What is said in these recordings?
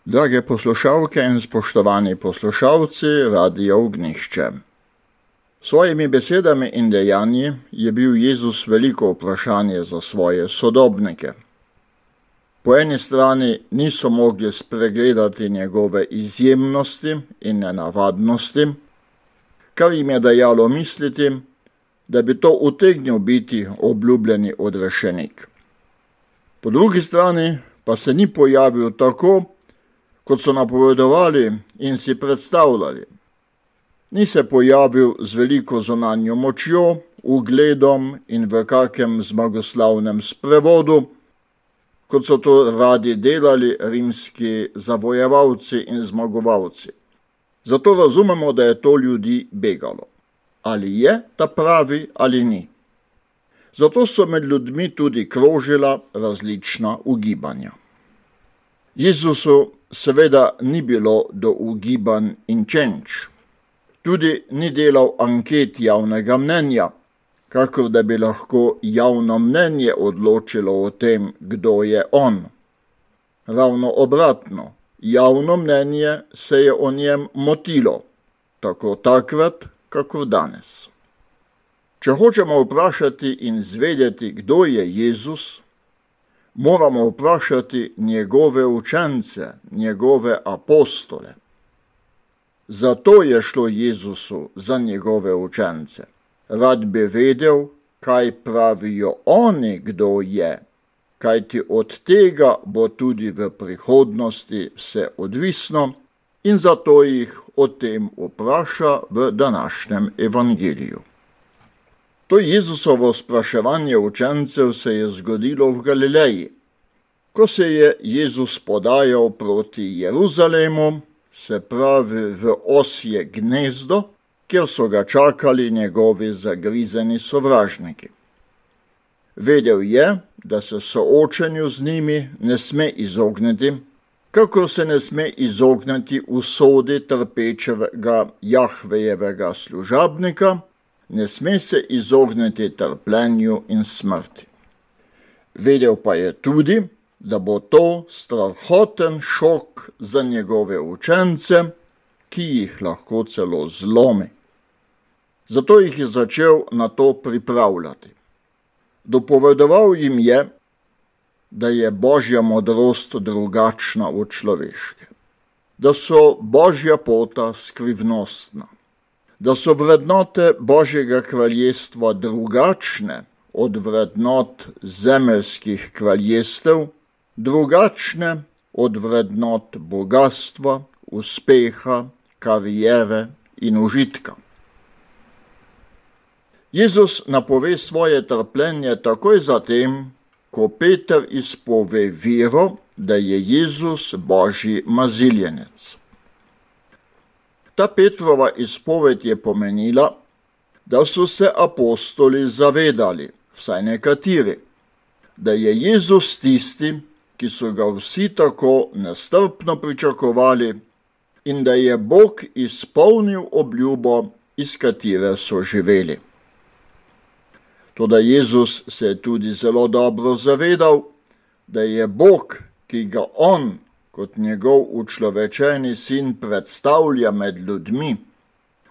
Drage poslušalke in spoštovani poslušalci Radia Ognjišče. Svojimi besedami in dejanji je bil Jezus veliko vprašanje za svoje sodobnike. Po eni strani niso mogli spregledati njegove izjemnosti in nenavadnosti, kar jim je dajalo misliti, da bi to utegnil biti obljubljeni odrešenik. Po drugi strani pa se ni pojavil tako, kot so napovedovali in si predstavljali. Ni se pojavil z veliko zunanjo močjo, ugledom in v kakem zmagoslavnem sprevodu, kot so to radi delali rimski zavojevalci in zmagovalci. Zato razumemo, da je to ljudi begalo. Ali je ta pravi ali ni. Zato so med ljudmi tudi krožila različna ugibanja. Jezusu seveda ni bilo do ugibanj in čenč. Tudi ni delal anket javnega mnenja, kakor da bi lahko javno mnenje odločilo o tem, kdo je on. Ravno obratno, javno mnenje se je o njem motilo, tako takrat, kakor danes. Če hočemo vprašati in zvedeti, kdo je Jezus, moramo vprašati njegove učence, njegove apostole. Zato je šlo Jezusu za njegove učence. Rad bi vedel, kaj pravijo oni, kdo je, kajti od tega bo tudi v prihodnosti vse odvisno in zato jih o tem vpraša v današnjem evangeliju. To Jezusovo spraševanje učencev se je zgodilo v Galileji. Ko se je Jezus podajal proti Jeruzalemu, se pravi v osje gnezdo, kjer so ga čakali njegovi zagrizeni sovražniki. Vedel je, da se soočenju z njimi ne sme izogniti, kakor se ne sme izogniti usodi trpečega Jahvejevega služabnika, ne sme se izogniti trpljenju in smrti. Vedel pa je tudi, da bo to strahoten šok za njegove učence, ki jih lahko celo zlomi. Zato jih je začel na to pripravljati. Dopovedoval jim je, da je Božja modrost drugačna od človeške, da so Božja pota skrivnostna, da so vrednote Božjega kraljestva drugačne od vrednot zemeljskih kraljestev, drugačne od vrednot bogastva, uspeha, kariere in užitka. Jezus napove svoje trpljenje takoj zatem, ko Peter izpove vero, da je Jezus Božji maziljenec. Ta Petrova izpoved je pomenila, da so se apostoli zavedali, vsaj nekateri, da je Jezus tisti, ki so ga vsi tako nestrpno pričakovali in da je Bog izpolnil obljubo, iz katere so živeli. Toda Jezus se je tudi zelo dobro zavedal, da je Bog, ki ga on kot njegov učlovečeni sin predstavlja med ljudmi,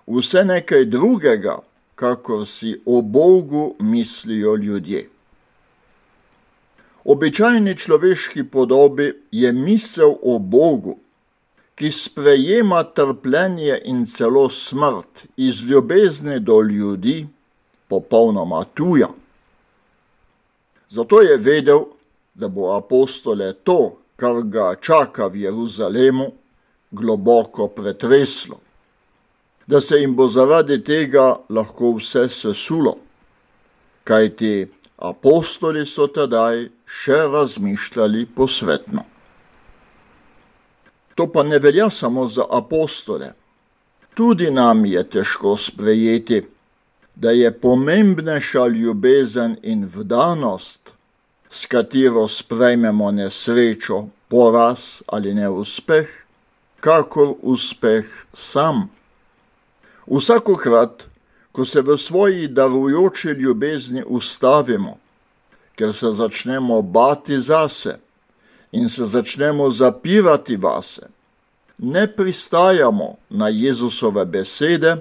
vse nekaj drugega, kakor si o Bogu mislijo ljudje. Običajni človeški podobi je misel o Bogu, ki sprejema trpljenje in celo smrt iz ljubezni do ljudi, popolnoma tuja. Zato je vedel, da bo apostole to, kar ga čaka v Jeruzalemu, globoko pretreslo, da se jim bo zaradi tega lahko vse sesulo, kajti apostoli so tedaj še razmišljali posvetno. To pa ne velja samo za apostole. Tudi nam je težko sprejeti, da je pomembnejša ljubezen in vdanost, s katero sprejmemo nesrečo, poraz ali neuspeh, kakor uspeh sam. Vsakokrat, ko se v svoji darujoči ljubezni ustavimo, ker se začnemo bati zase in se začnemo zapirati vase, ne pristajamo na Jezusove besede,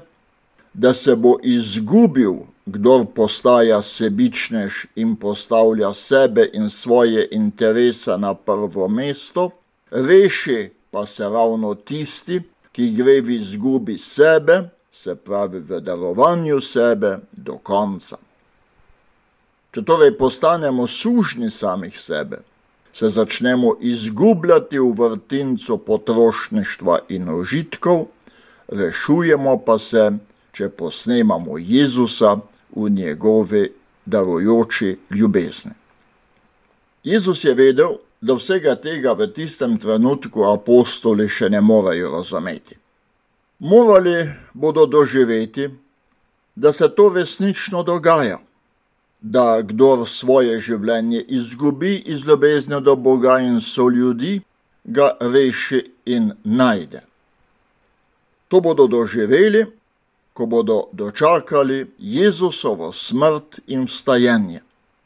da se bo izgubil, kdor postaja sebičnež in postavlja sebe in svoje interese na prvo mesto, reši pa se ravno tisti, ki gre v izgubi sebe, se pravi v darovanju sebe do konca. Če torej postanemo sužnji samih sebe, se začnemo izgubljati v vrtincu potrošništva in užitkov, rešujemo pa se, če posnemamo Jezusa v njegovi darujoči ljubezni. Jezus je vedel, da vsega tega v tistem trenutku apostoli še ne morejo razumeti. Morali bodo doživeti, da se to resnično dogaja, da kdor svoje življenje izgubi iz ljubezni do Boga in soljudi, ga reši in najde. To bodo doživeli, ko bodo dočakali Jezusovo smrt in vstajenje.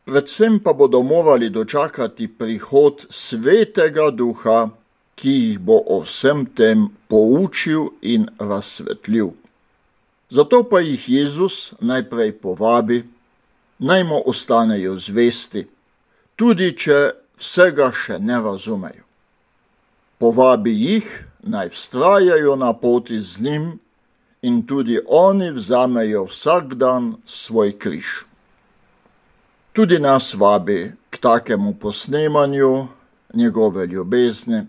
Predvsem pa bodo morali dočakati prihod Svetega Duha, ki jih bo o vsem tem poučil in razsvetlil. Zato pa jih Jezus najprej povabi, naj mu ostanejo zvesti, tudi če vsega še ne razumejo. Povabi jih, naj vztrajajo na poti z njim in tudi oni vzamejo vsak dan svoj križ. Tudi nas vabi k takemu posnemanju njegove ljubezni,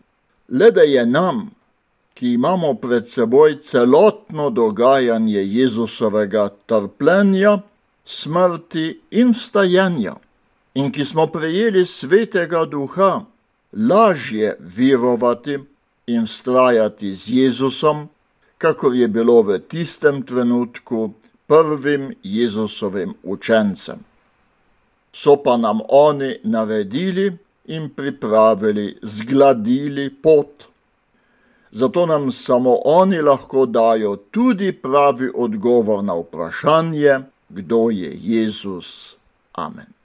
le da je nam, ki imamo pred seboj celotno dogajanje Jezusovega trpljenja, smrti in vstajenja, in ki smo prejeli Svetega Duha, lažje verovati in vztrajati z Jezusom, kakor je bilo v tistem trenutku prvim Jezusovim učencem. So pa nam oni naredili in pripravili, zgladili pot. Zato nam samo oni lahko dajo tudi pravi odgovor na vprašanje, kdo je Jezus. Amen.